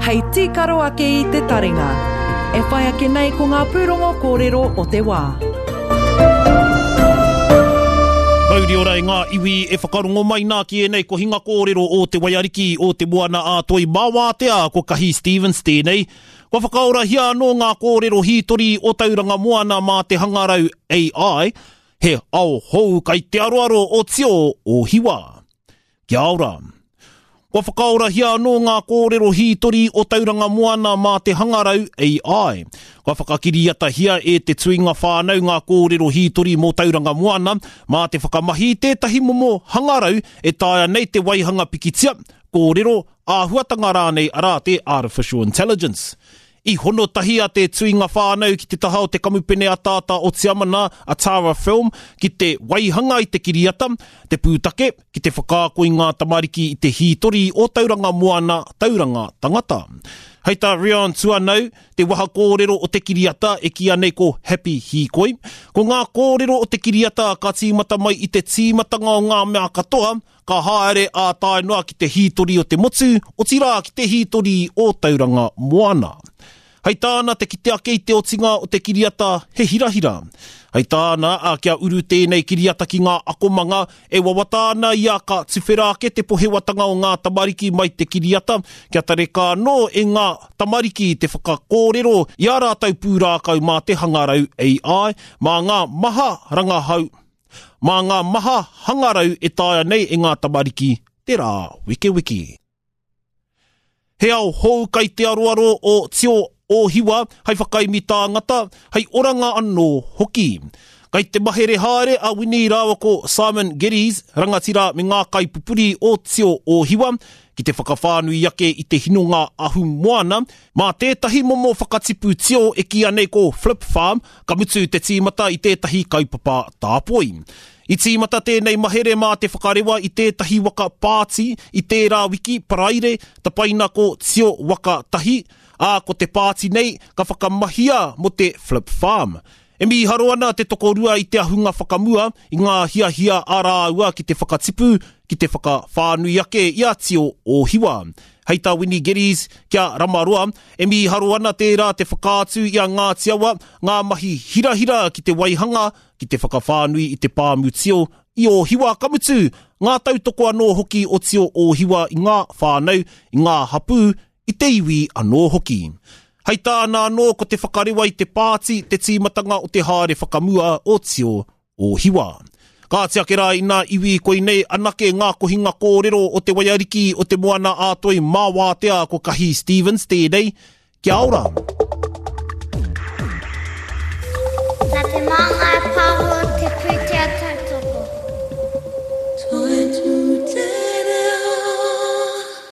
hei tīkaro ake i te taringa. E whai ake nei ko ngā pūrongo kōrero o te wā. Mauri ora e ngā iwi e whakarongo mai nā ki ēnei kohinga kōrero o Te Waiariki o Te Moana a Toi mā wātea ko Kahi Stevens tēnei. Kua whakaorahia anō ngā kōrero hītori o Tauranga Moana mā te hangarau AI, he ao hou kai te aroaro o Tio o Hiwa. Kia ora. Kua whakaorahia anō ngā kōrero hītori o Tauranga Moana mā te hangarau AI. Kua whakakiriatahia e te tuinga whānau ngā kōrero hītori mō Tauranga Moana mā te whakamahi i tētahi momo hangarau e taea nei te waihanga pikitia, kōrero, āhuatanga rānei arā te Artificial Intelligence. I hono tahi a Te Tuinga Whānau ki te taha o te kamupene ataata o Tiamana, a Tara Film, ki te waihanga i te kiriata, te pūtake, ki te whakaako i ngā tamariki i te hītori o Tauranga Moana, Tauranga Tangata. Hei tā Rion Tuanau, te waha kōrero o te kiriata e kīia nei ko Happy Hīkoi, ko ngā kōrero o te kiriata ka tīmata mai i te tīmatanga o ngā mea katoa, Ka haere ā tae noa ki te hītori o te motu, otirā ki te hītori o Tauranga Moana. Hei tāna te kite ake i te otinga o te kiriata he hirahira. Hei tāna, ā, kia uru tēnei kiriata ki ngā akomanga, e wawata ana ia ka tuwhera ake te pohewatanga o ngā tamariki mai te kiriata, kia tareka anō e ngā tamariki te whakakōrero i ā rātou pūrākau mā te hangarau AI, mā ngā maha rangahau Mā ngā maha hangarau e taea nei e ngā tamariki te rā wekeweke. He ao hou kai te aroaro o Tio Ōhiwa hei whakaemi tāngata, hei oranga anō hoki. Kai te mahere haere a Winnie rāua ko Simon Geddes, rangatira me ngā kaipupuri o Tio Ōhiwa, ki te whakawhānui ake i te hinonga ahumoana, Mā tētahi momo whakatipu tio e kīia nei ko Flip Farm, ka mutu te tīmata i tētahi kaupapa tāpoi. I tīmata tēnei mahere mā te whakarewa i tētahi waka pāti i tērā wiki, Paraire, tapaina ko Tio Waka Tahi, ā, ko te pāti nei ka whakamahia mō te Flip Farm. E mīharo ana te tokorua i te ahunga whakamua i ngā hiahia a rāua ki te whakatipu, ki te whakawhānui ake i a Tio Ōhiwa. Hei tā Winnie Geddes, kia Ramaroa, e mīharo ana tērā te whakaatu i a Ngāti Awa ngā mahi hirahira ki te waihanga, ki te whakawhānui i te pāmu tio i Ōhiwa, ka mutu, ngā tautoko anō hoki o Tio Ōhiwa i ngā whānau, i ngā hapū, i te iwi anō hoki. Hei tāna anō ko te whakarewa i te pāti te tīmatanga o te haere whakamua o Tio Ōhiwa. Kāti ake rā inā iwi koinei anake ngā kohinga kōrero o te waiariki o te Moana ā Toi mā wātea ko Kahi Stevens tēnei. Kia ora! Nā te māngai.